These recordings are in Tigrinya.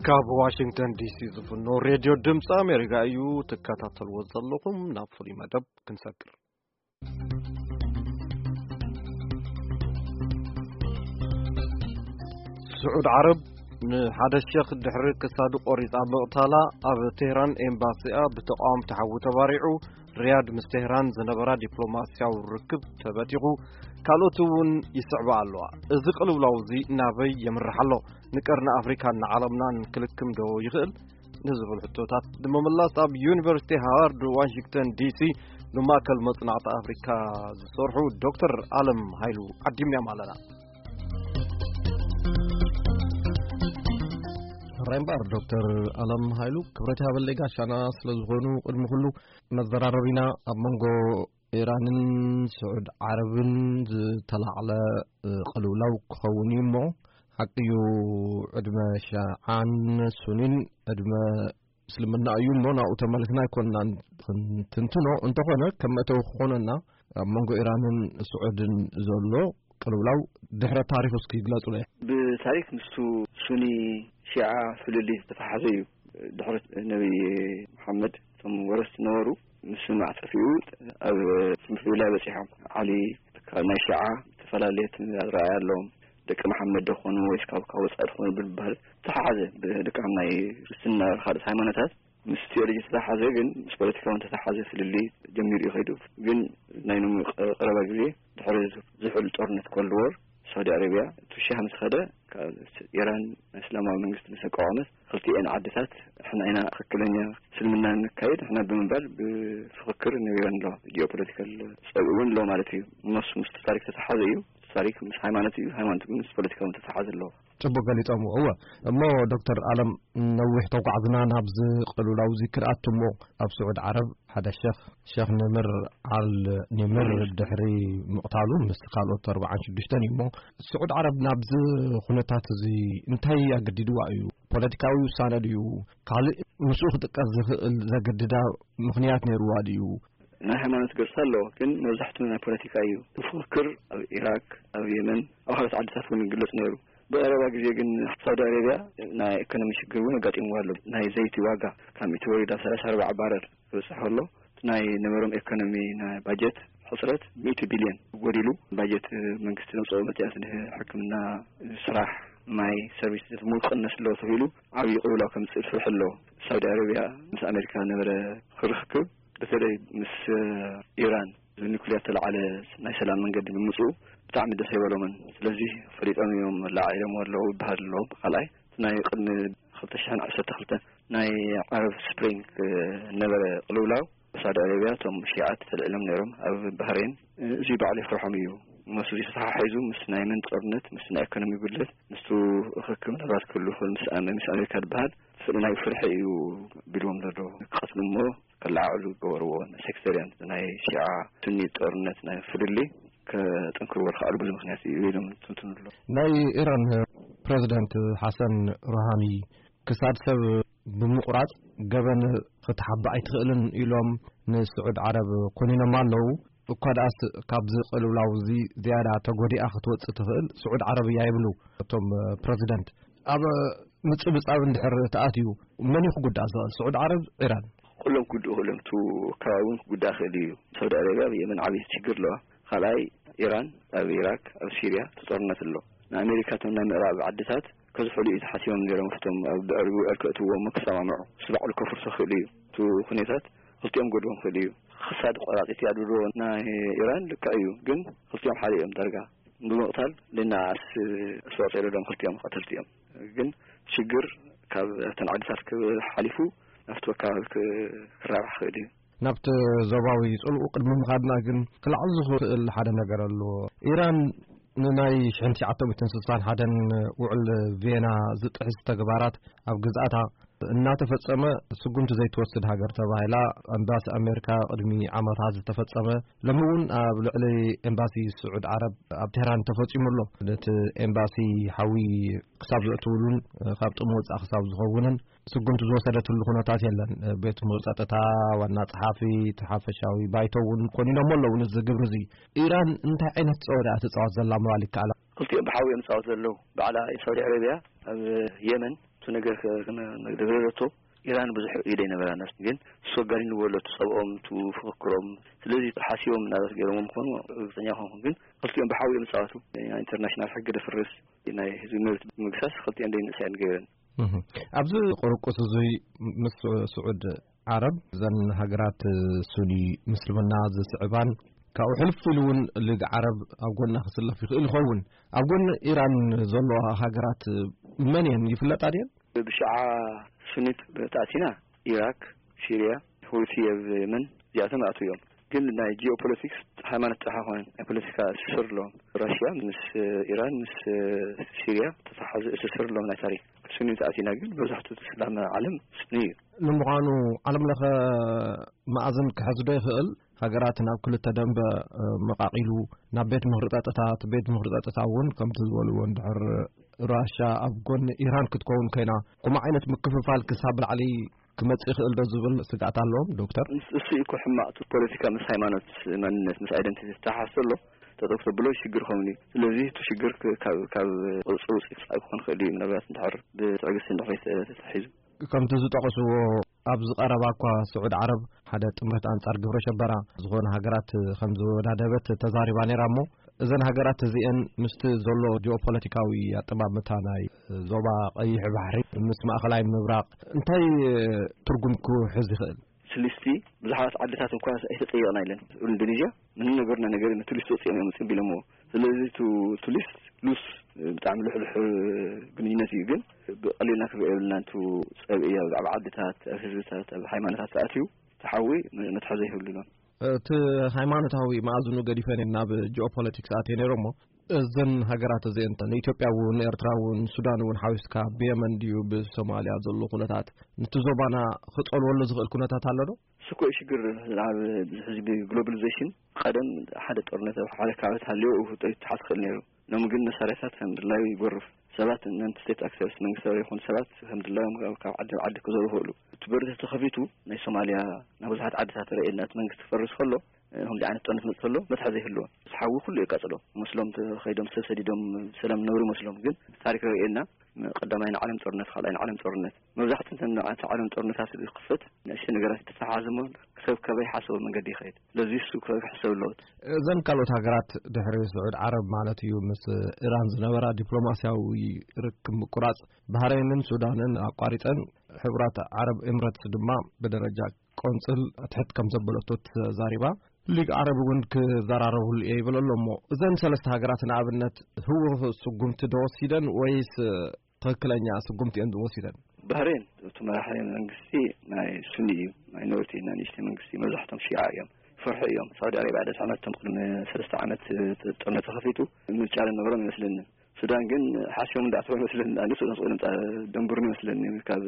ካብ ዋሽንግተን ዲሲ ዝፍኖ ሬድዮ ድምፂ ኣሜሪካ እዩ ትከታተልዎ ዘለኹም። ናብ ፍሉይ መደብ ክንሰግር። ስዑድ ዓረብ ንሓደ ሸኽ ድሕሪ ክሳዱ ቆሪጻ ምቕታላ፣ ኣብ ቴህራን ኤምባሲኣ ብተቃወምቲ ሓዊ ተባሪዑ፣ ሪያድ ምስ ቴህራን ዝነበራ ዲፕሎማስያዊ ርክብ ተበቲኹ፣ ካልኦት እውን ይስዕባ ኣለዋ። እዚ ቅልውላው እዚ ናበይ የምርሕ ኣሎ? ንቀርኒ ኣፍሪካን ንዓለምናን ክልክም ዶ ይኽእል? ንዝብል ሕቶታት ንምምላስ ኣብ ዩኒቨርሲቲ ሃዋርድ ዋሽንግተን ዲሲ ብማእከል መጽናዕቲ ኣፍሪካ ዝሰርሑ ዶክተር ኣለም ሃይሉ ዓዲምናዮም ኣለና። ሕራይ እምበኣር ዶክተር ኣለም ሃይሉ፣ ክብረት ይሃበለይ ጋሻና ስለ ዝኾኑ፣ ቅድሚ ኩሉ መዘራረቢና ኣብ መንጎ ኢራንን ስዑድ ዓረብን ዝተላዕለ፣ እ፣ ቅልውላው ክኸውን እዩ እሞ፣ ሓቂ እዩ፣ ዕድመ ሸዓን ሱኒን ዕድመ እስልምና እዩ እሞ፣ ናብኡ ተመሊስና ኣይኮንናን ክንትንትኖ። እንተኾነ፣ ከም መእተዊ ክኾነና፣ ኣብ መንጎ ኢራንን ስዑድን ዘሎ ቅልውላው ድሕረ ታሪኹ እስኪ ግለጹለይ። ብታሪክ ምስቱ ሱኒ ሺዓ ፍልልይ ዝተተሓዘ እዩ። ድሕሪ ነቢ መሓመድ እቶም ወረስቲ ነበሩ። ምስ ማዕጠፊኡ ኣብ ፍልልይ በጺሖም። ዓሊ ካብ ናይ ሺዓ ዝተፈላለየ ኣረኣእያ ኣለዎም። ደቂ መሓመድ ዶ ኾኑ ወይስ ካብ፣ ካብ ወጻኢ ዶ ኾኑ ብምባል ዝተሓሓዘ፣ ብደቂ ናይ ክርስትና ካልኦት ሃይማኖታት ምስ ቴዎሎጂ ዝተተሓዘ፣ ግን ምስ ፖለቲካ እውን ዝተተሓዘ ፍልልይ ጀሚሩ እዩ ከይዱ። ግን ናይ ሎሚ ቀ-፣ ቀረባ ግዜ ድሕሪ ዝሑል ጦርነት ኮልድ ዎር፣ ሳውዲ ኣረብያ እቲ ሺዓ ምስ ኸደ፣ ካብ ኢራን ናይ እስላማዊ መንግስቲ ምስ ኣቋቋመት፣ ክልቲኤን ዓድታት ንሕና ኢና ትኽክለኛ እስልምና ነካይድ ንሕና ብምባል ብፍኽክር ነቢረን ኣለዋ። ጂኦፖለቲካል ጸብእ እውን ኣለዎ ማለት እዩ። እሞስ ምስ ታሪክ ተተሓዘ እዩ። ታሪክ ምስ ሃይማኖት እዩ፣ ሃይማኖት ግን ምስ ፖለቲካ እውን ተተሓዘ ኣለዎ። ጽቡቅ ገሊጾምዎ። እወ፣ እሞ ዶክተር ኣለም፣ ነዊሕ ተጓዕዝና ናብዚ ቅልውላው እዚ ክንኣቱ እሞ፣ ኣብ ስዑድ ዓረብ ሓደ ሸኽ፣ ሸኽ ንምር ኣል ንምር፣ ድሕሪ ምቕታሉ ምስ ካልኦት ኣርባዓን ሽዱሽተን እዩ እሞ፣ ስዑድ ዓረብ ናብዚ ኩነታት እዚ እንታይ ኣገዲድዋ እዩ? ፖለቲካዊ ውሳነ ድዩ? ካልእ ምስኡ ክጥቀስ ዝኽእል ዘገድዳ ምኽንያት ነይርዋ ድዩ? ናይ ሃይማኖት ገጽ ኣለዎ፣ ግን መብዛሕትኡ ናይ ፖለቲካ እዩ። ፍክክር ኣብ ኢራቅ፣ ኣብ የመን፣ ኣብ ካልኦት ዓድታት እውን ይግለጽ ነይሩ። ብቐረባ ግዜ ግን ሳውዲ ኣረብያ ናይ ኢኮኖሚ ሽግር እውን ኣጋጢምዋ ኣሎ። ናይ ዘይቲ ዋጋ ካብ ሚእቲ ወሪዳ ሰላሳ ኣርባዓ ባረር ክበጽሕ ከሎ፣ እቲ ናይ ነበሮም ኢኮኖሚ ናይ ባጀት ሕጽረት ሚእቲ ቢልዮን ጎዲሉ፣ ባጀት መንግስቲ ዘውጽኦ መጽያት፣ ሕክምና፣ ስራሕ፣ ማይ፣ ሰርቪስ ሙሉ ክቕነስ ኣለዎ ተባሂሉ ዓብዪ ቅልውላው ከምጽእ ፍርሒ ኣሎ። ሳውዲ ኣረብያ ምስ ኣሜሪካ ዝነበረ ክርክብ፣ በተለይ ምስ ኢራን ኒኩሊየር ተለዓለ ናይ ሰላም መንገዲ ብምምፅኡ ብጣዕሚ ደስ ኣይበሎምን። ስለዚ ፈሊጦም እዮም ለዓዒሎምዎ ኣለዉ ይበሃል ኣሎ። ካልኣይ፣ እቲ ናይ ቅድሚ ክልተ ሽሕን ዓሰርተ ክልተን ናይ ዓረብ ስፕሪንግ ነበረ ቅልውላው፣ ብሳውዲ ኣረብያ እቶም ሺዓት ተልዒሎም ነይሮም ኣብ ባህሬን። እዚ ባዕሉ የፍርሖም እዩ። ምስ እዚ ተተሓሒዙ ምስ ናይ የመን ጦርነት፣ ምስ ናይ ኢኮኖሚ ጉድለት፣ ምስቱ ርክክብ ምናልባት ክህሉ ይኽእል፣ ምስ ኣመ-፣ ምስ ኣሜሪካ ዝበሃል ፍል-፣ ናይ ፍርሒ እዩ ቢልዎም ዘሎ። ክቐትሉ እሞ ከለዓዕሉ ዝገበርዎ ናይ ሴክተርያን ናይ ሺዓ ሱኒ ጦርነት ናይ ፍልልይ ከጠንክርዎ ዝኸኣሉ ብዙ ምኽንያት እዩ ኢሎም ትንትኑ ኣሎ። ናይ ኢራን ፕረዚደንት ሓሰን ሩሃኒ ክሳድ ሰብ ብምቑራጽ ገበን ክትሓብእ ኣይትኽእልን ኢሎም ንስዑድ ዓረብ ኮኒኖም ኣለዉ። እኳ ደኣስ ካብዚ ቅልውላው እዚ ዝያዳ ተጎዲኣ ክትወጽእ ትኽእል ስዑድ ዓረብ እያ ይብሉ እቶም ፕረዚደንት። ኣብ ምጽብጻብ እንድሕር ተኣትዩ መን እዩ ክጉዳእ ዝኽእል? ስዑድ ዓረብ፣ ኢራን? ኩሎም ክጉድኡ ክእሎም፣ እቲ ከባቢ እውን ክጉዳእ ክእል እዩ። ሳውዲ ኣረብያ ኣብ የመን ዓብዪ ችግር ኣለዋ። ካልኣይ ኢራን ኣብ ኢራቅ፣ ኣብ ሲርያ እቲ ጦርነት ኣሎ። ንኣሜሪካ እቶም ናይ ምዕራብ ዓድታት ከዝሕሉ እዩ ተሓሲቦም ነይሮም። እቶም ኣብ ድዕሪኡ ዕርቂ እትዎም ክሰማምዑ፣ እሱ ባዕሉ ከፍርሶ ክእል እዩ። እቲ ኩነታት ክልቲኦም ጎድቦም ክእል እዩ። ክሳድ ቆራፂት እያ ድብልዎ ናይ ኢራን ልክዕ እዩ፣ ግን ክልቲኦም ሓደ እዮም ዳርጋ። ብምቕታል ልናኣስ ኣስተዋፅኦ የለሎም፣ ክልቲኦም ቀተልቲ እዮም። ግን ሽግር ካብ እተን ዓድታት ክሓሊፉ ናብቲ ከባቢ ክ-፣ ክራባሕ ክእል እዩ። ናብቲ ዞባዊ ጽልኡ ቅድሚ ምኻድና ግን ክለዓል ዝኽእል ሓደ ነገር ኣሎ። ኢራን ንናይ ሽሕን ትሽዓተ ሚእትን ስሳን ሓደን ውዕል ቪየና ዝጥሕስ ተግባራት ኣብ ግዝኣታ እናተፈጸመ ስጉምቲ ዘይትወስድ ሃገር ተባሂላ ኣምባሲ ኣሜሪካ ቅድሚ ዓመታት ዝተፈጸመ፣ ሎሚ እውን ኣብ ልዕሊ ኤምባሲ ስዑድ ዓረብ ኣብ ቴህራን ተፈጺሙ ኣሎ። ነቲ ኤምባሲ ሓዊ ክሳብ ዘእትውሉን ካብ ጥቕሚ ወጻኢ ክሳብ ዝኸውንን ስጉምቲ ዝወሰደትሉ ኩነታት የለን። ቤት ጽሕፈት ጸጥታ፣ ዋና ጸሓፊ፣ እቲ ሓፈሻዊ ባይቶ እውን ኮኒኖም ኣለዉ። ነዚ ግብሪ እዚ ኢራን እንታይ ዓይነት ጸወታ እያ ትጻወት ዘላ ምባል ይከኣል? ክልቲኦም ብሓዊ እዮም ዝጻወቱ ዘለዉ። ባዕላ ሳውዲ ዓረብያ ኣብ የመን እቲ ነገር ከ-፣ ከነ-፣ ደብረረቶ ኢራን ብዙሕ ኢደ ኣይነበራን፣ ግን እሱ ኣጋኒንዎ ኣሎ፣ እቲ ጸብኦም፣ እቲ ፍክክሮም። ስለዚ ሓሲቦም እናበስ ገይሮም ምዃኑ ርግጸኛ ኣይኮንኩን፣ ግን ክልቲኦም ብሓዊ እዮም ዝጻወቱ። ናይ ኢንተርናሽናል ሕጊ ደፍርስ፣ ናይ ህዝቢ መብት ምግሳስ፣ ክልቲኦም ደይ ንእሳየን ገይረን። እህ። ኣብዚ ቁርቁስ እዙይ ምስ ስዑድ ዓረብ፣ እዘን ሃገራት ሱኒ ምስልምና ዝስዕባን፣ ካብኡ ሕልፍ ኢሉ እውን ሊግ ዓረብ ኣብ ጎና ክስለፍ ይኽእል ይኸውን። ኣብ ጎኒ ኢራን ዘለዋ ሃገራት መን እየን ይፍለጣ ድየን? ብሽዓ ሱኒት ተኣቲና፣ ኢራክ፣ ሲርያ፣ ሁቲ ኣብ የመን፣ እዚኣቶም ይኣትዉ እዮም። ግን ናይ ጂኦፖለቲክስ ሃይማኖት ጥራሕ ኣይኮነን፣ ናይ ፖለቲካ ትስስር ኣለዎም። ራሽያ ምስ ኢራን፣ ምስ ሲርያ ተተሓዘ ትስስር ኣለዎም ናይ ታሪክ። ሱኒ ተኣቲና ግን መብዛሕትኡ እቲ እስላም ዓለም ሱኒ እዩ። ንምዃኑ ዓለም ለኸ መኣዝን ክሕዝ ዶ ይኽእል? ሃገራት ናብ ክልተ ደንበ፣ እ፣ መቃቒሉ ናብ ቤት ምኽሪ ጸጥታ፣ እቲ ቤት ምኽሪ ጸጥታ እውን ከምቲ ዝበልዎ እንድሕር ራሻ ኣብ ጎኒ ኢራን ክትከውን ኮይና፣ ከምኡ ዓይነት ምክፍፋል ክሳብ ላዕሊ ክመጽእ ይኽእል ዶ ዝብል ስግኣት ኣለዎም ዶክተር? እሱ እዩ እኮ ሕማቕ፣ እቲ ፖለቲካ ምስ ሃይማኖት፣ መንነት፣ ምስ ኣይደንቲቲ ዝተሓሓዝ ዘሎ፣ ጠጠው ክተብሎ ሽግር ክኸውን እዩ። ስለዚ እቲ ሽግር ክ-፣ ካብ፣ ካብ ቁጽጽር ውጽእ ክሳብ ክኾን ክእል እዩ፣ ምናልባት እንድሕር ብትዕግስቲ እንድሕር ተታሒዙ። ከምቲ ዝጠቐስዎ፣ ኣብዚ ቀረባ እኳ ስዑድ ዓረብ ሓደ ጥምረት ኣንጻር ግብረ ሸበራ ዝኾነ ሃገራት ከም ዝወዳደበት ተዛሪባ ነይራ። እሞ እዘን ሃገራት እዚአን ምስቲ ዘሎ ጂኦፖለቲካዊ ኣጠማምታ ናይ ዞባ ቀይሕ ባሕሪ ምስ ማእኸላይ ምብራቕ እንታይ ትርጉም ክሕዝ ይኽእል? ስሊስቲ ብዙሓት ዓድታት እኳ ኣይተጠየቕና ኢለን። ኢንዶኔዥያ ምንም ነገርና ነገር፣ ነቲ ሊስት ወፂኦም እዮም ፅምቢሎምዎ። ስለዚ ቱ-፣ ቱ ሊስት ሉስ ብጣዕሚ ልሕልሕ ግንኙነት እዩ፣ ግን ብቐሊልና ክሪኦ የብልና። ንቱ ፀብኢ ኣብ ዓድታት፣ ኣብ ህዝብታት፣ ኣብ ሃይማኖታት ተኣትዩ፣ ተሓዊ መ-፣ መትሓዚ ይህብሉን። እቲ ሃይማኖታዊ መኣዝኑ ገዲፈን ናብ ጂኦፖለቲክስ ኣትየ ነይረ። እሞ እዘን ሃገራት እዚአን፣ ንኢትዮጵያ እውን፣ ንኤርትራ እውን፣ ሱዳን እውን ሓዊስካ፣ ብየመን ድዩ ብሶማልያ ዘሎ ኩነታት፣ ነቲ ዞባና ክጸልወሉ ዝኽእል ኩነታት ኣሎ ዶ? እሱ እኮ እዩ ሽግር። ኣብ ሕዚ ብግሎባሊዜሽን፣ ቀደም ሓደ ጦርነት ኣብ ሓደ ከባቢ ተሃልዮ ይተሓዝ ክእል ነይሩ። ሎም ግን መሳርያታት ከም ድላዩ ይጎርፍ። ሰባት፣ ነን ስቴት ኣክተርስ፣ መንግስታዊ ይኹን ሰባት ከም ድላዮም ካብ፣ ካብ ዓዲ ናብ ዓዲ ክዘሩ ይኽእሉ። እቲ በሪ ተተኸፊቱ፣ ናይ ሶማልያ ናብ ብዙሓት ዓድታት ርኤና፣ እቲ መንግስቲ ክፈርስ ከሎ፣ እ፣ ከምዚ ዓይነት ጦርነት መጽእ ከሎ መትሓዚ ይህልዎ። ምስ ሓዊ ኩሉ የቃጽሎ። መስሎም ተኸይዶም ሰብ ሰዲዶም ሰላም ነብሩ መስሎም። ግን ታሪክ ርኤና፣ ቀዳማይ ናይ ዓለም ጦርነት፣ ካልኣይ ናይ ዓለም ጦርነት፣ መብዛሕትኡ እንተ ናይ ዓለም ጦርነታት ዝኽፈት ንእሽቶ ነገራት ተተሓሓዝሞ፣ ሰብ ከበይ ሓሰቡ መንገዲ ይኸይድ። ስለዚ እሱ ክሕሰብ ኣለዎት። እዘን ካልኦት ሃገራት ድሕሪ ስዑድ ዓረብ ማለት እዩ፣ ምስ ኢራን ዝነበራ ዲፕሎማስያዊ ርክብ ምቁራጽ፣ ባህረይንን ሱዳንን ኣቋሪጸን፣ ሕቡራት ዓረብ ኤምረትስ ድማ ብደረጃ ቆንጽል ኣትሕት ከም ዘበለቶ ተዛሪባ። ሊግ ዓረብ እውን ክዘራረብሉ እየ ይብል ኣሎ። እሞ እዘን ሰለስተ ሃገራት ንኣብነት ህወኽ ስጉምቲ ዶ ወሲደን ወይስ ትኽክለኛ ስጉምቲ እየን ዝወሲደን? ባህሬን እቲ መራሒ መንግስቲ ናይ ሱኒ እዩ፣ ማይኖሪቲ፣ ናይ ንእሽተይ መንግስቲ፣ መብዛሕቶም ሺዓ እዮም፣ ፍርሒ እዮም። ሳውዲ ኣረብያ ደድሕነቶም ቅድሚ ሰለስተ ዓመት ጥርነት ተኸፊቱ ምርጫ ዝነበሮም ይመስለኒ። ሱዳን ግን ሓሲቦም እንዳኣተው ይመስለኒ። ኣነ ሱዳን ስቆ ንምፃ ደንብሩን ይመስለኒ። ካብ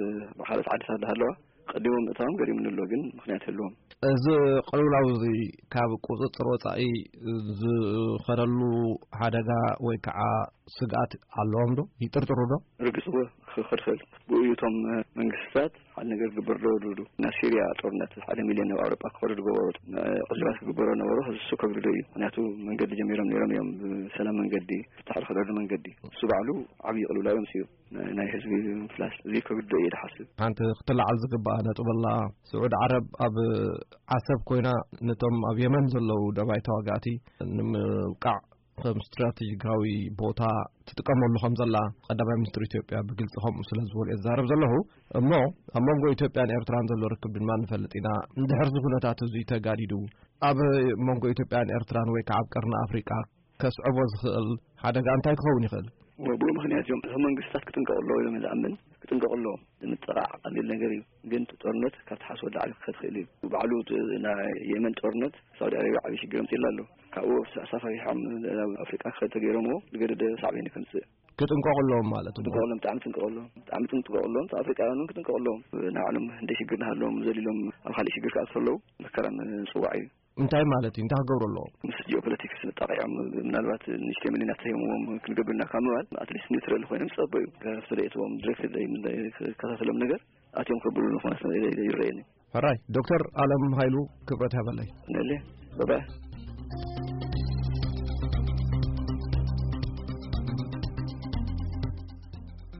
ካልኦት ዓድታት እንዳሃለዋ ቀዲሞም ምእታዎም ገሪሙኒ ኣሎ፣ ግን ምኽንያት የለዎም። እዚ ቅልውላው እዚ ካብ ቁፅፅር ወፃኢ ዝኸደሉ ሓደጋ ወይ ከዓ ስግኣት ኣለዎም ዶ? ይጥርጥሩ ዶ? ርግፅ እወ፣ ክኸድ ይኽእል። ብኡ እዩ እቶም መንግስታት ሓደ ነገር ግበር ዶ ድብሉ። ናብ ሲርያ ጦርነት ሓደ ሚልዮን ናብ ኣውሮጳ ክኸዱ ዝገበሩ ዕልባት ክግበሮ ነበሩ። ሕዚ እሱ ከብድዶ እዩ። ምኽንያቱ መንገዲ ጀሚሮም ነይሮም እዮም፣ ብሰላም መንገዲ፣ ፍታሕ ዝኸደሉ መንገዲ። እሱ ባዕሉ ዓብዪ ቅልውላው ኣምፅኡ። ናይ፣ ናይ ህዝቢ ምፍላስ እዚ ከብድዶ እየ ዝሓስብ። ሓንቲ ክትለዓል ዝግባኣ ነጥብ ኣላ። ስዑድ ዓረብ ኣብ ዓሰብ ኮይና ነቶም ኣብ የመን ዘለዉ ደባይ ተዋጋእቲ ንምውቃዕ ከም ስትራቴጂካዊ ቦታ ትጥቀመሉ ከም ዘላ ቀዳማይ ሚኒስትር ኢትዮጵያ ብግልፂ ከምኡ ስለ ዝበሉ እየ ዝዛረብ ዘለኹ። እሞ ኣብ መንጎ ኢትዮጵያን ኤርትራን ዘሎ ርክብ ድማ ንፈልጥ ኢና። እንድሕር እዚ ኩነታት እዚ ተጋዲዱ ኣብ መንጎ ኢትዮጵያን ኤርትራን ወይ ከዓ ኣብ ቀርኒ ኣፍሪቃ ከስዕቦ ዝኽእል ሓደጋ እንታይ ክኸውን ይኽእል? ብኡ ምኽንያት እዮም እቶም መንግስታት ክጥንቀቑ ኣለዎ ኢሎም ዝኣምን። ክጥንቀቑ ኣለዎም። ምጥቓዕ ቀሊል ነገር እዩ፣ ግን እቲ ጦርነት ካብ ትሓስቦ ላዕሊ ክኸድ ይኽእል እዩ። ባዕሉ እቲ ናይ የመን ጦርነት ሳውዲ ኣረብያ ዓብዪ ሽግር ኣምፂእላ ኣሎ። ካብኡ ኣሳፋሪሖም ናብ ኣፍሪቃ ክኸድ ተገይሮምዎ፣ ዝገደደ ሳዕቤን ከምፅእ። ክጥንቀቑ ኣለዎም ማለት እዩ። ክጥንቀቑ ኣለዎም፣ ብጣዕሚ ጥንቀቑ ኣለዎም። ብጣዕሚ ጥንቀቑ ኣለዎም። ኣፍሪቃውያን እውን ክጥንቀቑ ኣለዎም። ናይ ባዕሎም እንደ ሽግር እናሃለዎም ዘሊሎም ኣብ ካልእ ሽግር ክኣትዉ ከለዉ መከራ ምፅዋዕ እዩ። እንታይ ማለት እዩ? እንታይ ክገብሩ ኣለዎም? ምስ ጂኦፖለቲክስ መጣቂዖም፣ ምናልባት ንእሽተይ ሚልዮናት ተሂቦምዎም ክንገብር ኢና ካብ ምባል፣ ኣትሊስት ኒውትራል ኮይኖም ዝጸበዩ፣ ካብቲ ደእትዎም ዲሬክት ክከታተሎም ነገር ኣትዮም ከብሉ ዝኾነ ይረኣየኒ። ሕራይ ዶክተር ኣለም ሃይሉ፣ ክብረት ይሃበለይ። ነለ፣ ባባይ።